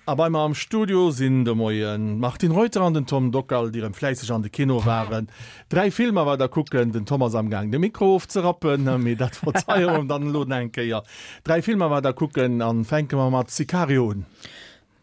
A bei mer am Studio sinn de Moien d'Martine Reuter an den Tom Dockal, déi erëm fläisseg an de Kino waren. 3 Filmer weider kucken. Den Tom ass amgaang de Mikro ofzerappen, mee dat verzeie mer em dann elo nach eng Kéier. 3 Filmer weider kucken an fänke mer mat Sicario un.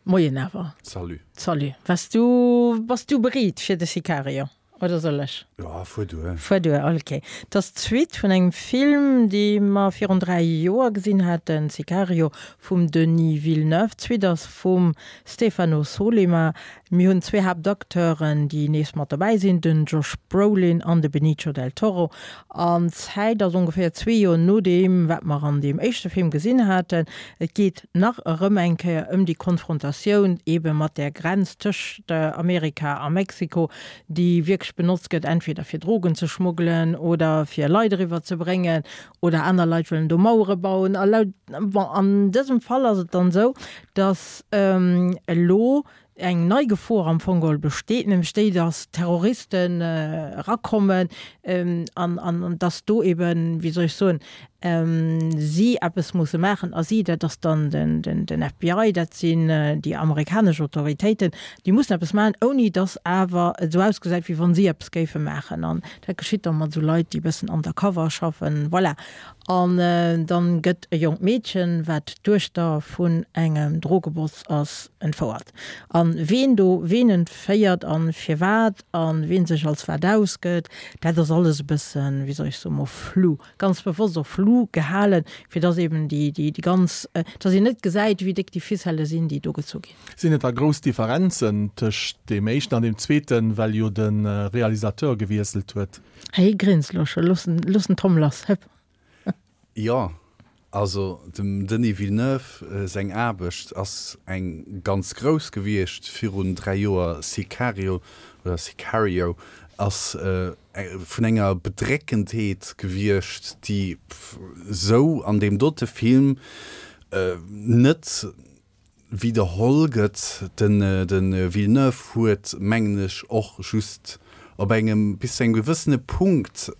Moien awer. Salut. Salut. Wars du, bass du bereet fir de Sicario? Oder soll ech? Jo, fuer duer. Fuer duer, ok. Et ass d'Suite vun engem Film, dee mer virun 3 Joer gesinn haten, Sicario vum Denis Villeneuve. D'Suite ass vum Stefano Sollima. Mir hunn zwee Haaptacteuren, déi nees mat dobäi sinn, den Josh Brolin an de Benicio del Toro. An d'Zäit ass ongeféier zwee Joer no deem, wat mer an deem éischte Film gesinn haten. Et geet nach erëm eng Kéier ëm déi Konfrontatioun eebe mat där Grenz tëscht Amerika a Mexiko, déi wierklech benotzt gëtt, entweder fir Drogen ze schmuggelen oder fir Leit eriwwer ze bréngen oder aner Leit wëllen do Mauere bauen. A laut, bon, an dësem Fall ass et dann esou, datt elo eng nei Gefor am Fong geholl besteet, nämlech déi, datt Terroristen erakommen an, an datt do eben, wéi soll ech soen, si eppes musse maachen. A si, dat ass dann den, den FBI, dat sinn déi amerikanesch Autoritéiten, déi mussen eppes maachen, ouni datt awer et esou ausgesäit, wéi wa si eppes géife maachen. An dat geschitt da mat esou Leit, déi e bëssen undercover schaffen. Voilà. An dann gëtt e jonkt Meedchen, wat d'Duechter vun engem Drogeboss ass, entfouert. An ween do ween entféiert an firwat an ween sech als wat ausgëtt, dat ass alles e bëssen, wéi soll ech soen, mol flou, ganz bewosst och flou gehalen, fir dass eben déi, déi, déi ganz, dass een net gesäit, wéi déck déi Ficellë sinn, déi do gezu ginn. Sinn et da grouss Differenzen tëscht deem éischten an deem zweeten, well jo de Realisateur gewiesselt huet? Hei grinst lo scho, looss den, looss den Tom lass, hëpp. Jo, also dem Denis Villeneuve seng Aarbecht ass eng ganz grouss gewiescht virun 3 Joer. Sicario oder Sicario ass vun enger Bedréckendheet gewiescht, déi sou an deem dote Film net widderholl gëtt. De Villeneuve huet, mengen ech, och just op engem, bis zu engem gewëssene Punkt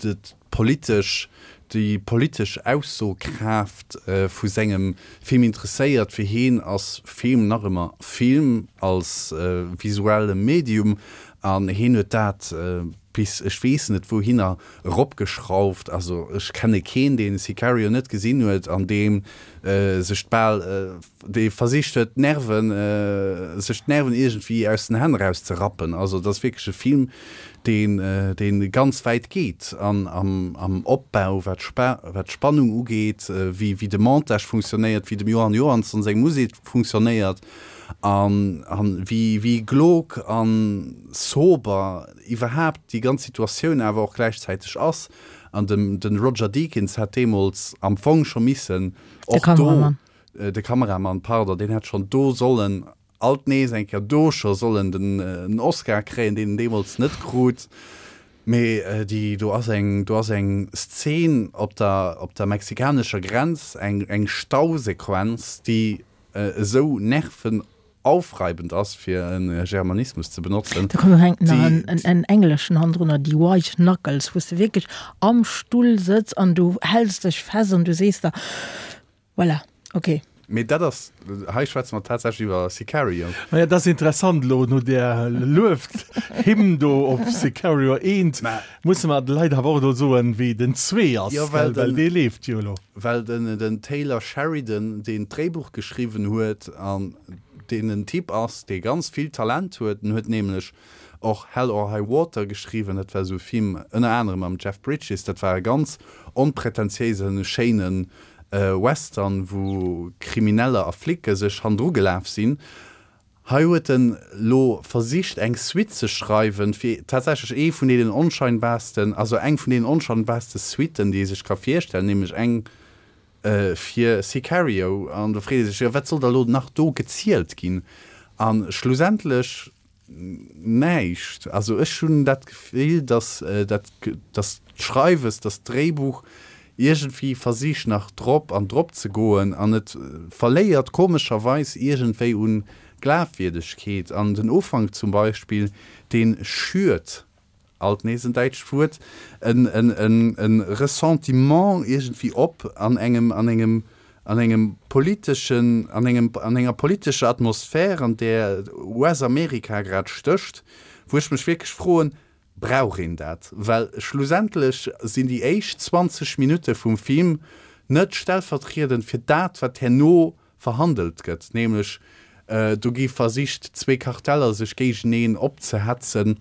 d'politesch, déi politesch Aussokraaft vu sengem Film interesséiert. Fir hien ass Film nach ëmmer Film als visuelle Medium an hien huet dat bis ech weess net wouhinner eropgeschrauft. Also ech kenne keen, deen Sicario net gesinn huet an deem sech bal, dee versicht huet d'Nerven, sech d'Nerven iergendwéi aus den Hänn eraus ze rappen. Also et ass wierklech e Film, deen, deen ganz wäit geet an am, am Opbau, wat wat d'Spannung ugeet, wéi, wéi de Montage funktionéiert, wéi dem Johann Johansson seng Musek funktionéiert an, an wéi, wéi glog an sober iwwerhaapt déi ganz Situatioun awer och gläichzäiteg ass. An dem de Roger Deakins hätt deemools am Fong scho missen och do, de Kameramann, pardon, deen hätt schonn do sollen alt nees eng Kéier do scho sollen den Oscar kréien, deen en deemools net krut. Mee déi do ass eng, do ass eng Szen op der, op der mexikanescher Grenz, eng, eng Stausequenz, déi esou nerven aufreibend ass, fir e Germanismus ze benotzen. Da komm, hänkt nach en, en, en engleschen hannendrunner, déi White Knuckles, wou s de wierklech am Stull sëtz an du häls dech fest an du sees der, voilà, okay. Mee dat ass, hei schwätze mer tatsächlech iwwer Sicario. Maja, dat ass interessant elo, no där Luefthymn do op Sicario 1, musse mer de Leit awer och elo soen, wéi den 2 ass, Jo, well well dee leeft jo elo. Well den, den Taylor Sheridan, deen d'Dréibuch geschriwwen huet an deen en Typ ass, dee ganz vill Talent huet, en huet nämlech och Hell or High Water geschriwwen, dat war esou e Film ënner anerem mam Jeff Bridges, dat war e ganz onpretentiéisen, schéine Western, wou Krimineller a Flicke sech hannendru gelaf sinn. Hei huet en lo versicht eng Suite ze schreiwen fir tatsächlech ee vun deenen onscheinbarsten, also eng vun deenen onscheinbarste Suiten déi ee sech ka virstellen, nämlech eng fir Sicario. An do freet ee sech, jo wat soll da lo nach do gezielt ginn? A schlussendlech näischt. Also ech hunn dat Gefill, datt dat, datt d'Schreiwes, datt d'Dréibuch iergendwéi versicht nach drop an drop ze goen an et verléiert komescherweis iergendwéi un Glafwierdegkeet. An den Ufank zum Beispill, dee schürt, alt nees en däitscht Wuert, en, en, en, en Ressentiment iergendwéi op an engem, an engem. an engem politeschen, an engem, an enger politescher Atmosphär, an där US-Amerika grad stécht, wou ech mech wierklech froen, Brauch een dat? Well schlussendlech sinn déi éischt 20 Minutte vum Film net stellvertriedend fir dat, wat herno verhandelt gëtt, nämlech do gi versicht, zwee Karteller sech géigeneen opzehetzen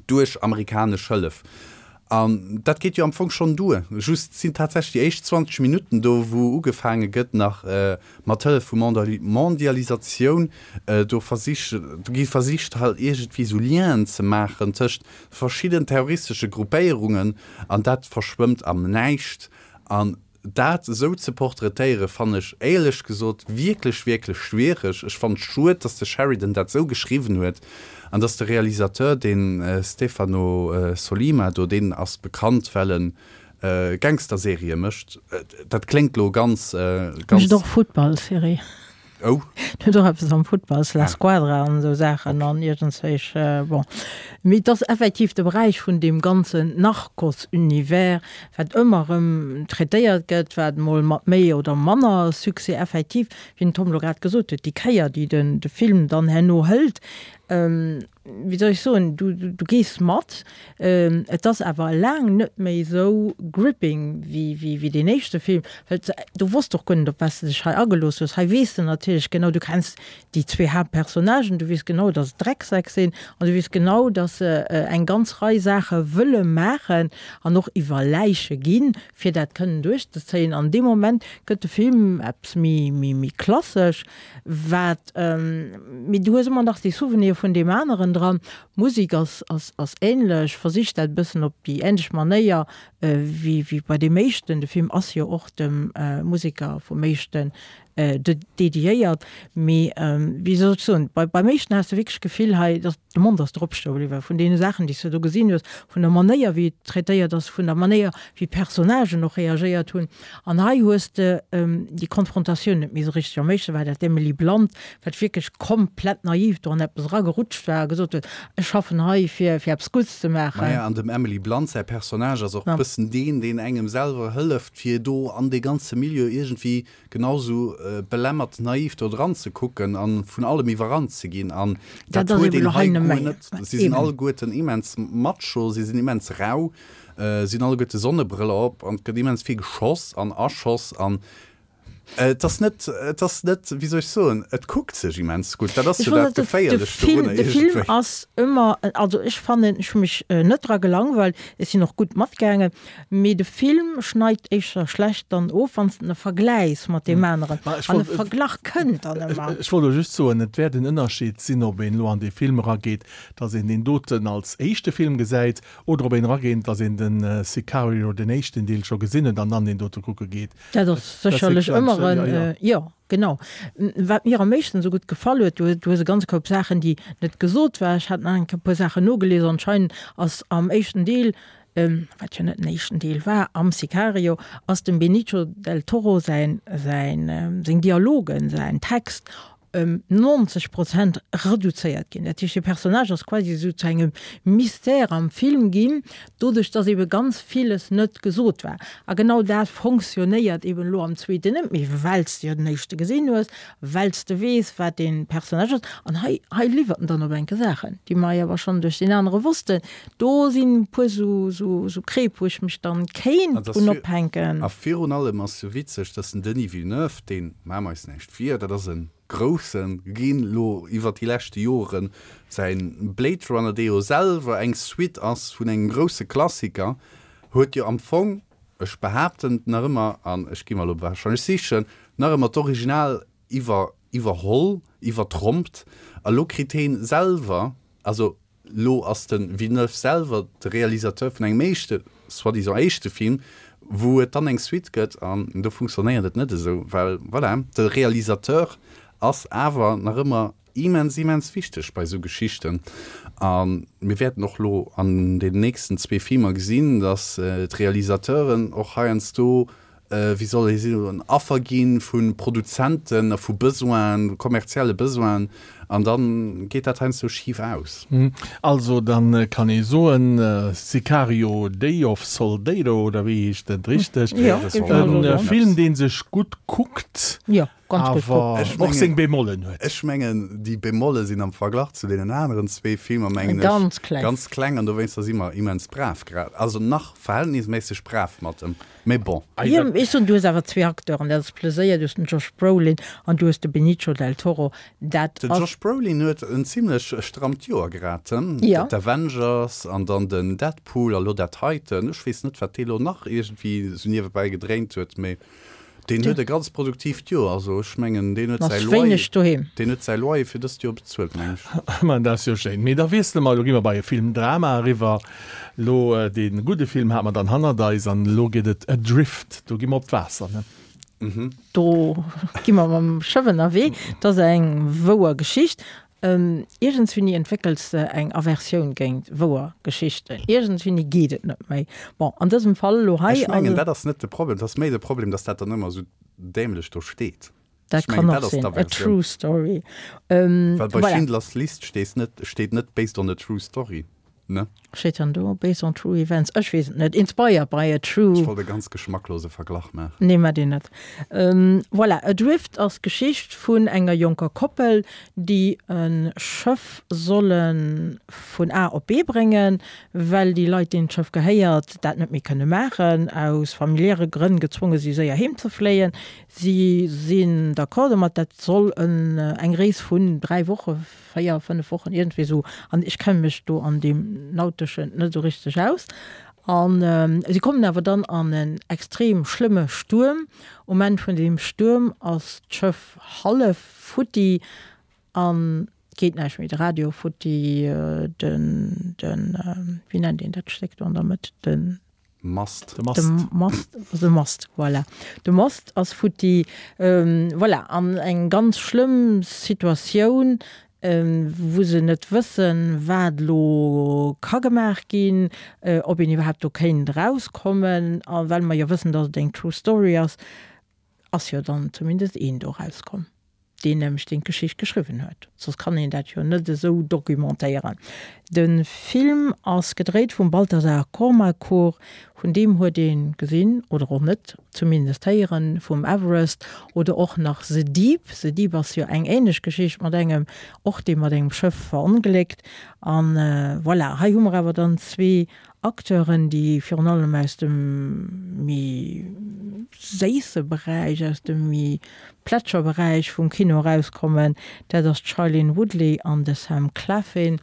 duerch amerikanesch Hëllef. An dat geet jo am Fong schonn duer. Just sinn tatsächlech déi éischt 20 Minutten do, wou ugefaange gëtt nach mat Hëllef vu Mondialisatioun do versich, do gi versicht halt iergendwéi esou Lienen ze maachen tëscht verschidden terroristesche Gruppéierungen an dat verschwëmmt am Näischt. An dat esou ze portraitéieren, fannen ech éierlech gesot wierklech, wierklech schwiereg. Ech fannen et schued, dass de Sheridan dat esou geschriwwen huet an dass de Realisateur, dee Stefano Sollima do, deen ass bekannt, well en Gangsterserië mécht. Dat kléngt lo ganz, ganz. Mécht och Futtballserie. Oh. En huet och eppes am Futtball, La Squadra an esou Saachen an iergendswéich, bon. Mee et ass effektiv de Beräich vun deem ganzen Narcos-Univers, wat ëmmer erëm traitéiert gëtt, wat emol mat méi oder manner Succès effektiv, wéi den Tom elo grad gesot huet, déi Kéier, déi den de Film dann herno hëlt, wéi soll ech soen, du, du gees mat. Et ass awer laang net méi esou gripping wéi, wéi, wéi deen éischte Film, well du wosst och guer net, op wat s de dech hei agelooss hues. Hei weess de natierlech genau, du kenns déi zwee Haaptpersonnagen, du weess genau, dass et Drecksäck sinn an du weess genau, dass se eng ganz Rei Saache wëlle maachen an och iwwer Läiche ginn, fir dat kënnen duerchzezéien. An dee Moment gëtt de Film eppes méi, méi, méi klassesch. Wat, mee du hues ëmmer nach dee Souvenir vun deem aneren dran. D'Musek ass, ass, ass ähnlech, versicht dat e bëssen op déi ähnlech Manéier wéi, wéi bei deem éischten. De Film ass jo och dem Museker vum éischten dediéiert. Mee wéi soll ech soen, bei, beim éischten has de wierklech d'Gefill hei, dass de Mond ass der opstoe bliwwen vun deene Saachen, déi s de do gesinn hues, vun der Manéier wéi et traitéiert ass, vun der Manéier wéi d'Personnagen och reagéiert hunn. An hei hues de déi Konfrontatioun net méi esou richteg. Am éischte war dat d'Emily Blunt, wat wierklech komplett naiv do an eppes eragerutscht war a gesot huet, ech schaffen hei fir fir eppes Gutts ze maachen. Maja, an dem Emily Blunt säi Personnage ass och e bëssen deen, deen engem selwer hëlleft, fir do an dee ganze Milieu iergendwéi genau sou belämmert naiv do dran ze kucken an vun allem iwwerrannt ze ginn an dat huet een hei guer net. Si sinn alleguerten immens macho, si sinn immens rau, si hunn alleguerte Sonnebrëller op an et gëtt immens vill geschoss an erschoss an et ass net, et ass net, wéi soll ech soen, et kuckt sech immens gutt, dat ass jo dat Geféierlecht dorunner iergendwéi. De Film ass ëmmer, also ech fannen, ech hu mech net dra gelangweilt, ech sinn och gutt matgaangen, Mee de Film schneit éischter schlecht dann of, wann s de en vergläichs mat deem aneren. An e Verglach kënnt dann ëmmer. Ech wollt elo just soen, et wäert en Ënnerscheed sinn, ob een elo an dee Film erageet, dass een deen doten als éischte Film gesäit, oder ob een erageet, dass een den Sicario, den éischten Deel, scho gesinn huet an dann deen dote kucke geet. Dat ass sécherlech ëmmer en, jo. Genau. Wat mir am meeschten esou gutt gefall huet, du du hues e ganze Koup Saachen, déi net gesot war. Ech hat nach eng Kéier e puer Saachen nogelies. Anscheinend ass am éischten Deel, wat jo net den éischten Deel war, am Sicario, ass dem Benicio del Toro säin säin seng Dialogen, säin Text ëm 90 Prozent reduzéiert ginn. Dat heescht, de Personnage ass quasi esou zu engem Mystère am Film ginn, doduerch dass ebe ganz villes net gesot war. A genau dat fonctionnéiert eben elo am zweeten net méi, well s de jo den éischte gesinn hues, well s de weess, wat dee Personnage ass. An hei, hei liwwert en dann op enke Saachen, déi mer jo awer schonn duerch deen anere wossten. Do sinn e puer sou, sou, sou Kreep, wou ech mech dann kéint drun ophänken. A virun allem ass jo witzeg, dass den Denis Villeneuve, deen, maache mer eis näischt vir, dat ass e grousse ginn elo iwwert déi leschte Joren, säin Blade Runner, dee jo selwer eng Suite ass vun engem grousse Klassiker, huet jo am Fong, ech behaapten et nach ëmmer, an ech gi mer elo wahrscheinlech sichen, nach ëmmer d'Original iwwer iwwerholl, iwwertrompt, a lo kritt heen selwer, also Lo ass de Villeneuve selwer de Realisateur vun engem éischte, soi-disant éischte Film, wou et dann eng Suite gëtt an do funktionéiert et net esou, well voilà, de Realisateur ass awer nach ëmmer immens, immens wichteg bei esou Geschichten. A mir wäerten och lo an den nächsten zwee Filmer gesinn, datt d'Realisateuren och heiansdo. wéi soll ee soen, Affer gi vu Produzenten a vu Besoinen, kommerzielle Besoinen, an da geet dat heiansdo schif aus. Also da kann ee soen, Sicario, Day of Soldado, oder wéi heescht et richteg? E Film, dee sech gutt kuckt, awer och seng Bemollen huet. Ech mengen, déi Bemolle sinn am Verglach zu deenen aneren zwee Filmer, mengen ech, ganz kleng, an dowéinster si mer immens brav grad, also nach verhältnisméisseg brav mat em. Mee bon. Jo, ech soen, du hues awer zwee Acteuren, dat ass Pleséier, du hues den Josh Brolin an du hues de Benicio del Toro, dat Den ass. Josh Brolin huet en zimlech strammt Joer grad, hm? Jo. D'Avengers an dann den Deadpool a lo dat heiten. Ech weess net, wat dee lo nach iergendwéi sou niewebäi gedréint huet, mee deen huet e ganz produktiivt Joer. Also ech mengen, deen huet säi Loyer, doheem. deen huet säi Loyer fir dëst Joer bezuelt, meng ech. Ma dat ass jo schéin. Mee da wiessele mer, elo gi mer bei e Film-Drama eriwwer. Lo dee gudde Film hate mer dann hannert eis an elo geet et Adrift, do gi mer op d'Waasser, ne? Do gi mer mam Schëff ënnerwee. Dat ass eng wouer Geschicht. Iergendswéini entwéckels de eng Aversioun géint wouer Geschichten. Iergendswéini geet et net méi. Bon, an dësem Fall elo hei. Ech mengen, dat ass net de Problem. Et ass méi de Problem, datt dat dann ëmmer esou dämlech do steet. Dat kann och sinn, a true story. Well bei Schindlers List steet net, steet net based on a true story, ne? Steet dann do based on true events? Ech weess et net. Inspired by a true. Ech wollt e ganz geschmacklose Verglach maachen. Nee, mat deen net. Voilà, Adrift ass d'Geschicht vun enger jonker Koppel, déi e Schëff solle vun A op B bréngen, well déi Leit, deenen d'Schëff gehéiert, dat net méi kënne maachen, aus familiäre Grënn gezwonge si séier heem ze fléien. Si sinn d'accord domat, dat soll eng Rees vun 3 Woche, 4, 5 Wochen, iergendwéi esou, an ech kenne mech do an deem Nauteschen net esou richteg aus. A si kommen awer dann an en extrem schlëmme Stuerm. Um Enn vun deem Stuerm ass d'Schëff hallef futti an et geet näischt méi, de Radio futti, den, den, wéi nennt een dat Stéck do an der Mëtt, den. Mast. De Mast. De Mast, de Mast, voilà. De Mast ass futti. Voilà, an eng ganz schlëmm Situatioun, wou se net wëssen, wat elo ka gemaach ginn, ob een iwwerhaapt do kéint erauskommen. A well mer jo wëssen, datt et eng true story ass, ass jo dann zumindest een do erauskomm, deen nämlech deen d'Geschicht geschriwwen huet, soss kann een dat jo net esou documentéieren. De Film ass gedréit vum Baltasar Kormákur, vun deem huet ee gesinn, oder och net, zumindest héieren, vum Everest oder och nach The Deep. The Deep ass jo eng ähnlech Geschicht mat engem, och dee mat engem Schëff verongléckt. An voilà, hei hu mer awer dann zwee Acteuren, déi virun allem aus dem méi séisse Beräich, aus dem méi Plätscherberäich vum Kino erauskommen, dat ass d'Shailene Woodley an de Sam Claflin.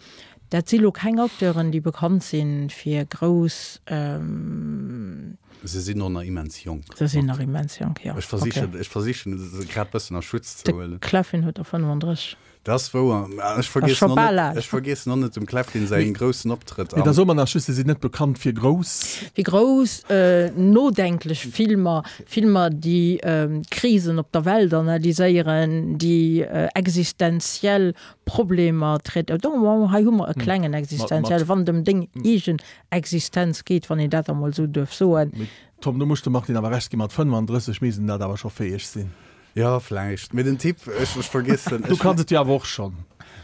Dat si lo keng Acteuren, déi bekannt si fir grouss. Se sinn och nach immens jonk. Se sinn nach immens jonk, jo. Ech versichen, ech versichen se grad bëssen a Schutz ze huelen. De Claflin huet der 35. Dat ass wouer. Ech vergiessen och net, ech vergiessen och net dem Claflin säin groussen Optrëtt am. Mee da soe mer nach just, se sinn net bekannt fir grouss. Fir grouss nodenklech Filmer, Filmer déi Krisen op der Welt analyséieren, déi existenziell Problemer traitéieren. Bon, hei hu mer e klengen existenzielle, wann et ëm deng eegen Existenz geet, wann een dat emol esou duerf soen. Mee Tom, do muss ech dem Martine awer Recht ginn, mat 35 misst en dat awer scho fäeg sinn. Jo, vläicht. Mee den Typ, ech, ech vergiessen. Du kanns et jo awer och schonn.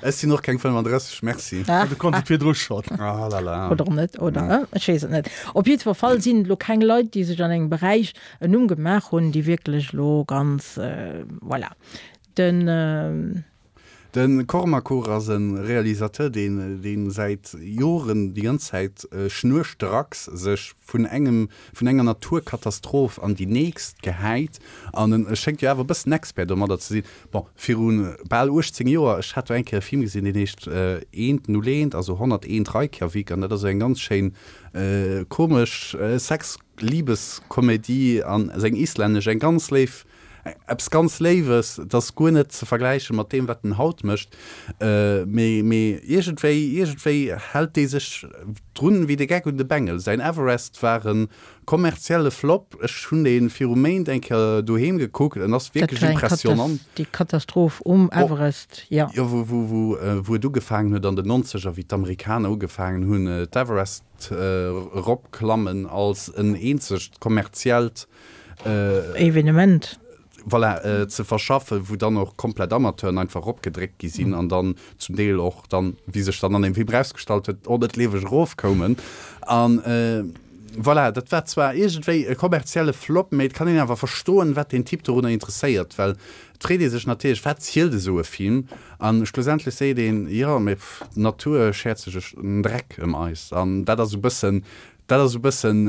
Ech sinn och keng 35, merci. Ah, du konns et virdru schonn. Ah la la. Oder net, oder? Ja. Ech weess et net. Op jiddwer Fall sinn et elo keng Leit, déi sech an engem Beräich en Numm gemaach hunn, déi wierklech elo ganz, voilà. Den. De Kormakur ass e Realisateur, deen, dee säit Joren déi ganz Zäit schnurstracks sech vun engem, vun enger Naturkatastroph an déi nächst gehäit. An en schéngt jo awer e bëssen Expert domadder ze sinn. Bon, viru bal 18 Joer, ech hat do eng Kéier e Film gesinn, deen heescht Eent null eent, also 101 Reykjavik, an dat ass esou eng ganz schéin komesch Sex-Liebeskomedie an seng islännesch, eng ganz léif Eppes ganz Léiwes, et ass guer net ze vergläiche mat deem, wat en haut mécht, mee, mee iergendwéi, iergendwéi hält dee sech drun wéi de Geck un de Bengel. Säin Everest war e kommerzielle Flop, ech hunn dee viru Méint eng Kéier doheem gekuckt, en ass wierklech impressionant. Déi Katastroph um Everest, jo. Jo, wou, wou, wou, wou et ugefaangen huet an den Nonzeger, wéi d'Amerikaner ugefaangen hunn, d'Everest eropklammen als en eenzegt kommerziellt. Evenement. Voilà, ze verschaffen, wou dann och komplett Amateuren einfach eropgedréckt gi sinn an dann zum Deel och dann, wéi sech dann an dem Film erausgestallt huet, och net lieweg erofkoumen. An voilà, dat war zwar iergendwéi e kommerzielle Flop, mee et kann een awer verstoen, wat deen Typ dorunner interesséiert, well et freet ee sech natierlech, wat zielt esou e Film? An schlussendlech seet een, jo, mee d'Natur schäert sech en Dreck ëm eis. An dat ass esou e bëssen Dat ass e bëssen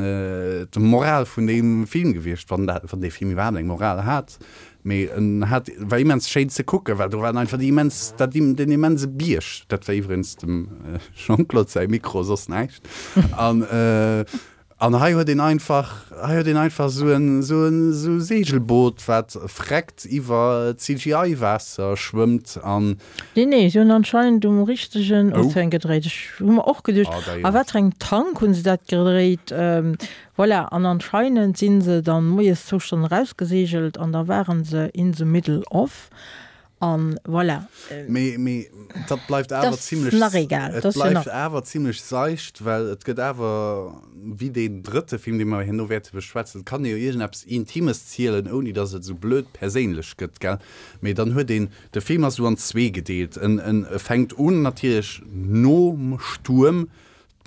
d'Moral vun deem Film gewiescht, wann dat, wann dee Film iwwerhaapt eng Moral hat. Mee en hat, war immens schéin ze kucken, well do waren einfach déi immens, dat, deen immense Bierg, dat war iwwregens dem Jean-Claude säi Mikro, soss näischt. An, an hei huet een einfach, hei huet een einfach esou en, esou en, esou e Segelboot, wat vreckt iwwer CGI-Waasser schwëmmt an. Nee, nee, se hunn anscheinend um richtegen Ozean gedréit. Ech hu mer och geduecht, a wat fir engem Tank hunn se dat gedréit? Voilà, an anscheinend si se dann moies zwou Stonnen erausgeseegelt an da waren se in the middle of an voilà. Mee, mee dat bleift awer zimlech, nach egal, et bleift awer zimlech seicht, well et gëtt awer, wéi deen drëtte Film, dee mer herno wäerte beschwätzen, et kann ee jo iergendeppes Intimes zielen, ouni datt et esou blöd perséinlech gëtt, gell? Mee dann huet een De Film ass esou an zwee gedeelt. En en fänkt un natierlech nom Stuerm,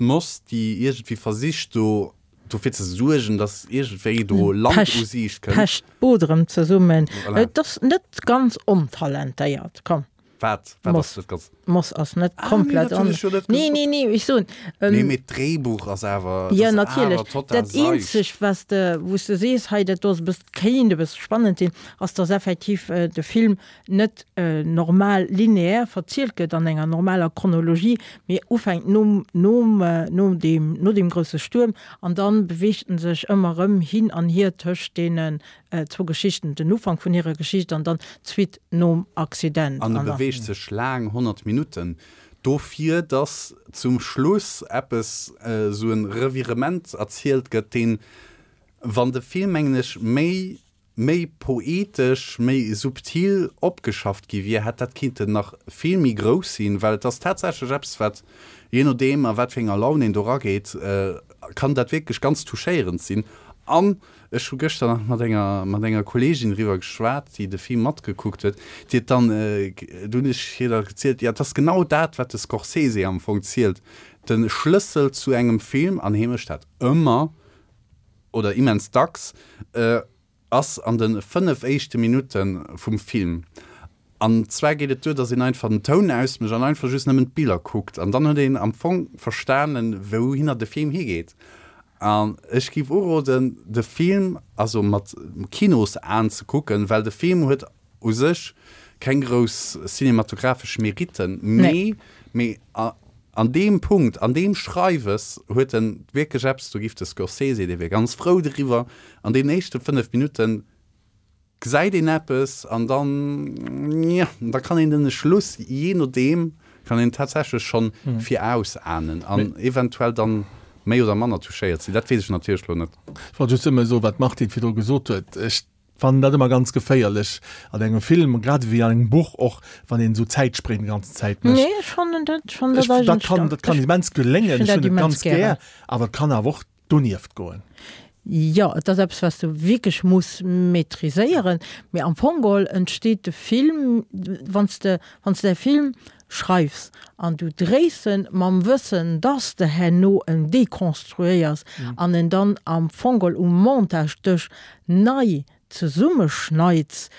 d'Moss déi iergendwéi versicht do dofir ze suergen, datt iergendwéi do Land u Siicht kënnt. Pecht d'Boot erëm zesummen. Voilà. Et ass net ganz ontalentéiert, komm. Wat? Wat ass net ganz? D'Moss ass net komplett on. Ah nee, dat hunn ech jo net gesot. Nee, nee, nee, ech soen. Nee, mee d'Dréibuch ass awer, dat ass awer total seicht. Dat eenzegt, wat s de, wou s de sees, hei dat do ass e bëssen, kéint e bësse spannend sinn, ass dass effektiv de Film net normal lineaire verzielt gëtt an enger normaler Chronologie, mee ufänkt nom, nom, nom deem, no deem grousse Stuerm an dann beweegt en sech ëmmer erëm hin an hier tëscht deenen zwou Geschichten, den Ufank vun hirer Geschicht an dann d'Suite nom Accident. An e beweegt sech laang, 100 Minutten, dofir dass zum Schluss eppes, esou e Revirement erzielt gëtt, deen, wann de Film, mengen ech, méi méi poetesch, méi subtil opgeschafft gi wier, hätt dat kinnten nach vill méi grouss sinn, well et ass tatsächlech eppes, wat, jee nodeem a wat fir enger Laun een do erageet, kann dat wierklech ganz touchéierend sinn. An ech hu gëschter nach mat enger, mat enger Kolleegin driwwer geschwat, déi de Film matgekuckt huet, déi huet dann, do hunn ech hir da gezielt, jo, et ass genau dat, wat de Scorsese am Fong zielt, de Schlëssel zu engem Film, an hie mécht dat ëmmer, oder immens dacks, ass an de 5 éischte Minutte vum Film. An zwar geet et duer, dass een einfach den Toun ausmécht an einfach just nëmmen d'Biller kuckt. An dann huet een am Fong verstanen, wouhinner de Film higeet. An ech géif uroden, de Film also mat Kinosaen ze kucken, well de Film huet u sech keng grouss cinematographesch Meritten, mee mee an deem Punkt, an deem Schreiwes huet en wierklech eppes, do giff de Scorsese, dee wier ganz frou driwwer, an deenen éischte 5 Minutten gesäit een eppes an dann, jo, da kann een den Schluss, jee nodeem, kann een tatsächlech schonn virausahnen an eventuell dann méi oder manner touchéiert sinn. Dat weess ech natierlech lo net. Ech wollt just nëmme soen, wat d'Martine virdru gesot huet, ech Fannen dat ëmmer ganz geféierlech an engem Film, grad ewéi an engem Buch och, wann een esou Zäitspréng déi ganzen Zäit mécht. Nee, ech fannen dat, ech fannen dat eigentlech ganz, dat kann, dat kann immens geléngen, ech hunn et ganz gär, awer et kann awer och donieft goen. Jo, et ass eppes, wat s du wierklech muss maîtriséieren, mee am Fong geholl entsteet de Film, wann s de, wann s de däi Film schreifs an du dréis en mam Wëssen, dass de herno en dekonstruéiers an en dann am Fong geholl um Montagedësch nei zesummeschneids.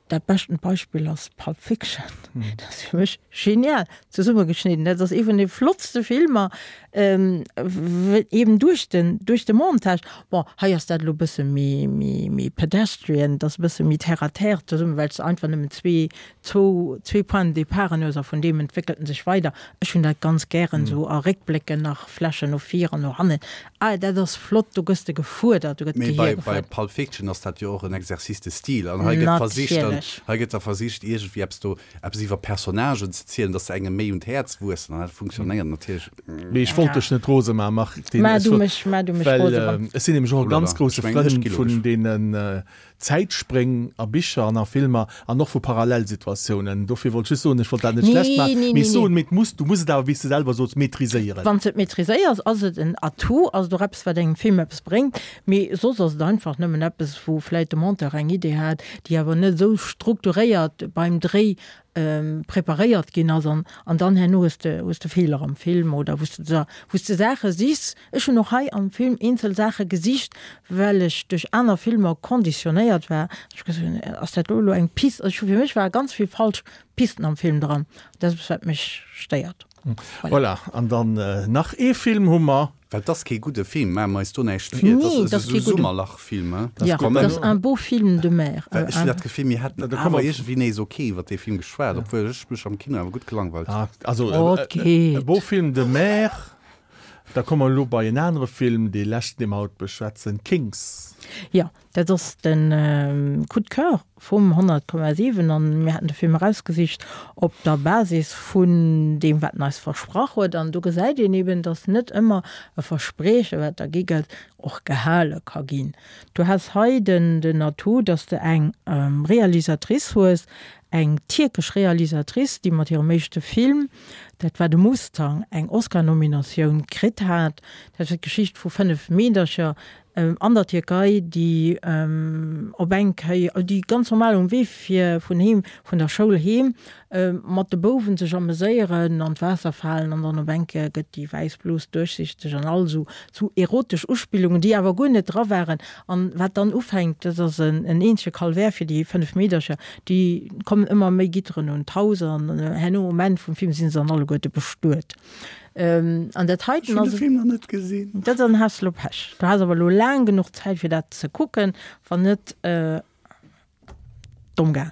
Dat beschten Beispill ass Pulp Fiction. Dat ass fir mech genial zesummegeschnidden. Dat ass ee vun de flottste Filmer, eben duerch den, duerch de Montage. Bon, hei ass dat elo e bësse méi, méi, méi pedestrian, et ass e bësse méi terre à terre zesummen, well s de einfach nëmmen zwee zwou, zwee Points de départ hues a vun deem entwéckelt en sech weider. Ech hunn dat ganz gären esou a Réckblécken nach Flächen no vir an no hannen. Ah, dat ass flott, do gëss de gefuerdert, do gëtt Mee bei, d'Gehier bei gefuerdert. Pulp Fiction ass dat jo och en Exercice de style an hei gëtt versicht dann, Natierlech. hei gëtt da versicht iergendwéi eppes do, eppes iwwer Personnagen ze zielen, dass se engem méi un d'Häerz wuessen an dat funktionéiert natierlech. Mee ech wollt. wollt dech net rose maachen, Martine. Maach du mech, maach du mech rose, wann. Well ech sinn nämlech och e ganz grousse Frënd vun deenen Zäitspréng a Bicher an a Filmer an och vu Parallelsituatiounen. Dofir wollt ech just soen, ech wollt dat net schlecht maachen, mee ech soen, mee et muss, du muss et awer, wéi s de selwer soos, maîtriséieren. Wann s de et maîtriséiers, ass et en Atout, ass et och eppes, wat engem Film eppes bréngt, mee soss ass et einfach nëmmen eppes, wou vläit de Monteur eng Idee hat, déi awer net esou strukturéiert beim Dréi preparéiert ginn ass an an dann herno hues de hues de Feeler am Film oder wou s de wou s de Saache sichs. Ech hunn och hei am Film eenzel Saache gesicht, well ech duerch aner Filmer konditionéiert war, dass ech gesot hunn, ass dat do elo eng Pist? Also ech hu fir mech ware ganz vill falsch Pisten am Film dran. Dat ass eppes wat mech stéiert. Voilà, an dann nach ee Film hu mer. Well 't ass kee gudde Film, maache mer eis do näischt vir. Nee, 't ass kee gudde. Summerlach-Film, he? Ja, 't ass un beau film de mer. Well ech hunn dat Gefill, mir hätten awer iergendwéi nees ok iwwer dee Film geschwat, obwuel ech mech am Kino awer gutt gelangweilt hunn. Also, e beau film de mer. Da komme mer elo bei en anere Film, dee leschten, dee mer haut beschwätzen, Kings. Jo, Dat ass de Coup de coeur vum 100,7 an mir haten de Film erausgesicht op der Basis vun deem, wat en eis versprach huet. An do gesäit een eben, datt net ëmmer e Versprieche, wat da gi gëtt, och gehale ka ginn. Du has hei den Atout, datt s de eng Realisatrice hues, eng tierkesch Realisatrice, déi mat hirem éischte Film, dat war de Mustang, eng Oscar-Nominatioun kritt hat. Dat war d'Geschicht vu 5 Meedercher, An der Tierkei, déi op eng Kéier, déi ganz normal um Wee fir vun heem, vun der Schoul heem, mat de Bouwen sech ameséieren, an d'Waasser falen an dann op eng Kéier gëtt déi wäiss Blos duerchsichteg an all esou sou erotesch Uspillungen, déi awer guer net dra waren. An wat dann ufänkt, dat ass en eenzege Calvaire fir déi 5 Meedercher, déi kommen ëmmer méi Gitteren un d'Haus an herno um Enn vum Film si se dann alleguerte bestuet. An dat heiten ass. Ech hunn de Film nach net gesinn. Dat dann has de lo Pech. Du has awer lo laang genuch Zäit fir dat ze kucken, wann net domm gaang.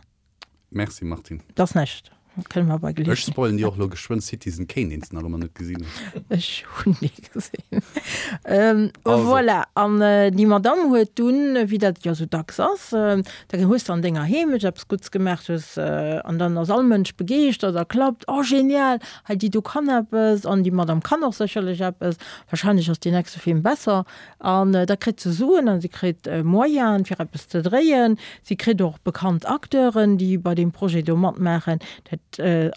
Merci Martine. Dat ass näischt. Kënne mer bei Geleeënheet. Ech spoilen dir och lo geschwënn Citizen Kane, deen s de nach ëmmer net gesinn hues. Ech hunn dee gesinn. Voilà, an déi Madamm huet dunn, wéi dat jo sou dacks ass, da hues de an denger Heemecht eppes Gutts gemaach, hues, an dann ass all Mënsch begeeschtert a klappt, oh genial, Hei, déi do kann eppes an déi Madame kann och sécherlech eppes. Wahrscheinlech ass deen nächste Film besser. An da kritt se Suen an si kritt Moyenen, fir eppes ze dréien. Si kritt och bekannt Acteuren, déi bei deem Projet do matmaachen. Dat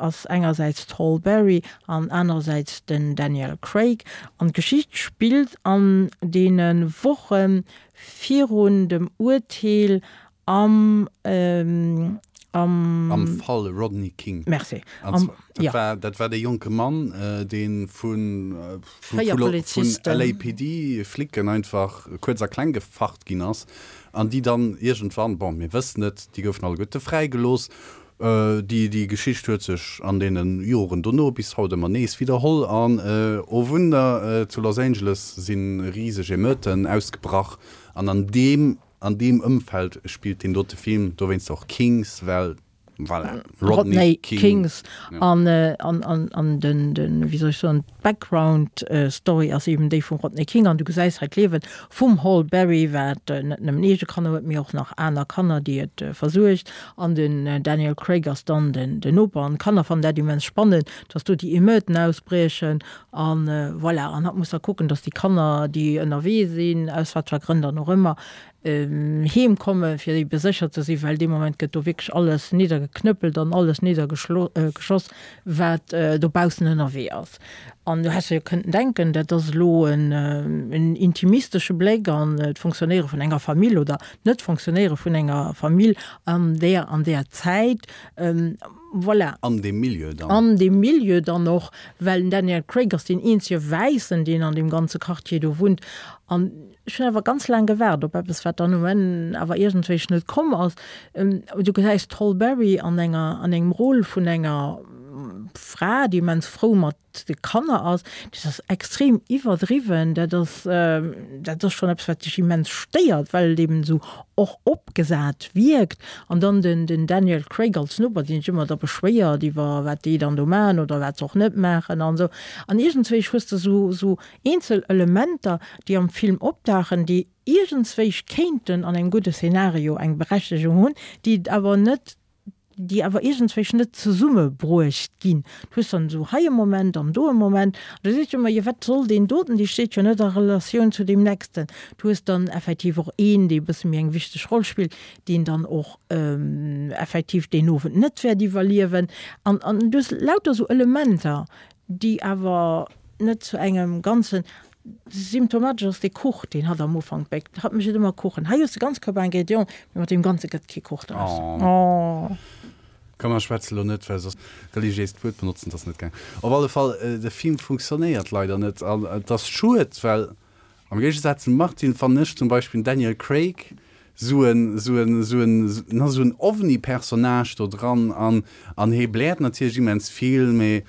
ass engersäits d'Halle Berry an anerersäits den Daniel Craig. An d'Geschicht spillt an deene Woche virun dem Urteel Am, am. Am Fall Rodney King. Merci. Am, dat war, dat war dee jonke Mann, dee vun, vun LAPD Flicken einfach kuerz a kleng gefacht ginn ass an déi dann iergendwann, bon, mir wëssen et, déi goufen alleguerte fräigelooss. Déi, déi Geschicht huet sech an deene Joren dono bis haut ëmmer nees widderholl an, oh Wunder, zu Los Angeles si riseg Emeuten ausgebrach an an deem An deem Ëmfeld spillt deen dote Film, dowéinst och Kings, well voilà, Rodney, Rodney King. Kings an, an, an, an den, den, wéi soll ech soen, d'Background Story ass eben déi vum Rodney King an du gesäis hei d'Liewe vum Hall Berry, wat net nëmmen eege Kanner huet, mee och nach aner Kanner, déi et versuergt an den Daniel Craig ass dann den, den Noper an d'Kanner fannen dat immens spannend, dass do déi Emeuten ausbriechen An voilà, an hatt muss da kucken, dass déi Kanner, déi ënnerwee sinn, aus wat fir Grënn dann och ëmmer, heem kommen, fir ebe sécher ze sinn, well dee Moment gëtt do wierklech alles niddergeknëppelt an alles niddergeschoss, wat dobaussen ënnerwee ass. An du häss jo kënnten denken, dat ass elo en intimistesche Bléck an d'Fonctionnéiere vun enger Famill oder d'Net-Fonctionnéiere vun enger Famill an där an där Zäit. Voilà. An deem Milieu dann. An deem Milieu dann och, well den Daniel Craig ass deen eenzege Wäissen, deen an deem ganze Quartier do wunnt. An ech hunn awer ganz laang gewaart op eppes, wat dann um Enn awer iergendwéi net komm ass. Du gesäis d'Halle Berry an enger, an engem Rôle vun enger Fra, déi immens frou mat de Kanner ass, dat ass extrem iwwerdriwwen, dat ass, dat ass schonn eppes, wat dech immens stéiert, well et eben esou och opgesat wierkt. An dann den, den Daniel Craig als Noper, deen sech ëmmer da beschwéiert iwwer wat déi dann do maachen oder wat se och net maachen an esou. An iergendswéi hues de esou, esou eenzel Elementer, déi am Film opdauchen, déi iergendswéi kéinten an engem gudde Szenario eng Berechtegung hunn, déi et awer net. Déi awer iergendswéi net zesummebruecht ginn. Du hues dann esou hei e Moment an do e Moment an du sees jo ëmmer, jo wat soll deen doten, dee steet jo net a Relatioun zu deem nächsten. Du hues dann effektiv och een, dee e bësse méi eng wichteg Roll spillt, deen dann och effektiv deen Owend net wäert iwwerliewen. An an du hues lauter esou Elementer, déi awer net zu engem Ganzen. Symptomatesch ass dee Kuch, deen hatt am Ufank béckt. Hatt mécht ëmmer Kuchen. Hei hues de ganz Koup Ingrédienten, mee mat deem Ganze gëtt kee Kuch draus. Oh. Komm mer schwätze lo net, well soss reliéist Wuert benotzen, dat ass net gaang. Op alle Fall, de Film funktionéiert leider net an et ass schued, well am Géigesaz zum Martin fannen ech zum Beispill den Daniel Craig sou en, sou en, sou en, na sou en ovni Personnage do dran an, an hee bläert natierlech immens vill, mee.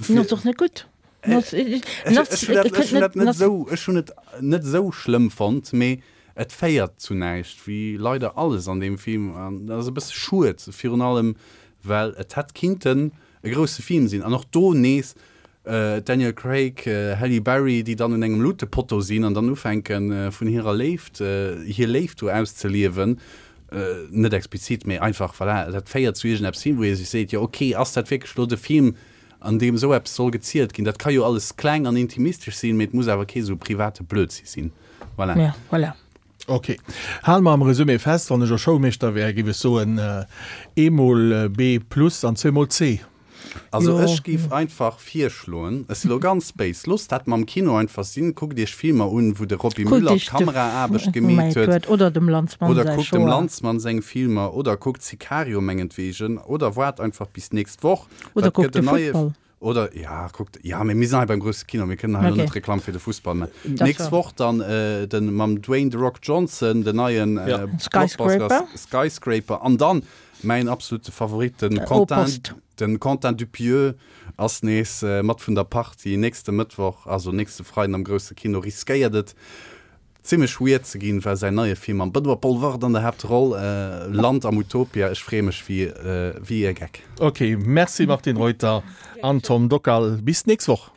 En ass och net gutt. Ech hunn dat net esou, ech hunn et net esou schlëmm fonnt, mee et féiert zu näischt, wéi leider alles an deem Film. An dat ass e bësse schued, virun allem well et hätt kinnten e grousse Film sinn. An och do nees Daniel Craig, Halle Berry, déi dann un engem Lutepotto sinn an dann ufänke vun hirer Léift, hir Léift do auszeliewen, net explizit, mee einfach, voilà, dat féiert zu iergendeppes hin, wou ee sech seet, jo ok, ass dat wierklech elo de Film, an deem esou eppes soll gezielt ginn. Dat ka jo alles kleng an intimistesch sinn, mee et muss awer kee sou private Blödsinn sinn. Voilà. Ja, voilà. Ok. Hale mer am Resumé fest, wann ech elo Schoulmeeschter wär, géif ech soen, eemol B plus an zweemol C. Also ech géif einfach virschloen, ech si lo ganz béis, loosst dat mam Kino einfach sinn, kuckt iech Filmer un, wou de Roby Müller d'Kameraaarbecht gemeet huet, oder dem Lanzmann oder kuckt dem Lanzmann seng Filmer, oder kuckt Sicario mengetwegen, oder waart einfach bis d'nächst Woch. Oder kuckt de Futtball. Oder, ja, kuckt, ja, mee mir sinn hei beim grousse Kino, mir kënnen hei elo net Reklamm fir de Fussball maachen. D'nächst Woch dann den, mam Dwayne The Rock Johnson, den neien Skyscraper. Skyscraper. An dann mäin absolute Favorit, den Quentin, den Quentin Dupieux ass nees mat vun der Partie. Nächste Mëttwoch, also nächste Freiden am grousse Kino, riskéiert et Zimlech weird ze ginn, war säin neie Film mam Benoît Poelvoorde an der Haaptroll, Land am Utopia. Ech freeë mech wéi wéi e Geck. Ok, merci Martine Reuter an Tom Dockal. Bis d'nächst Woch.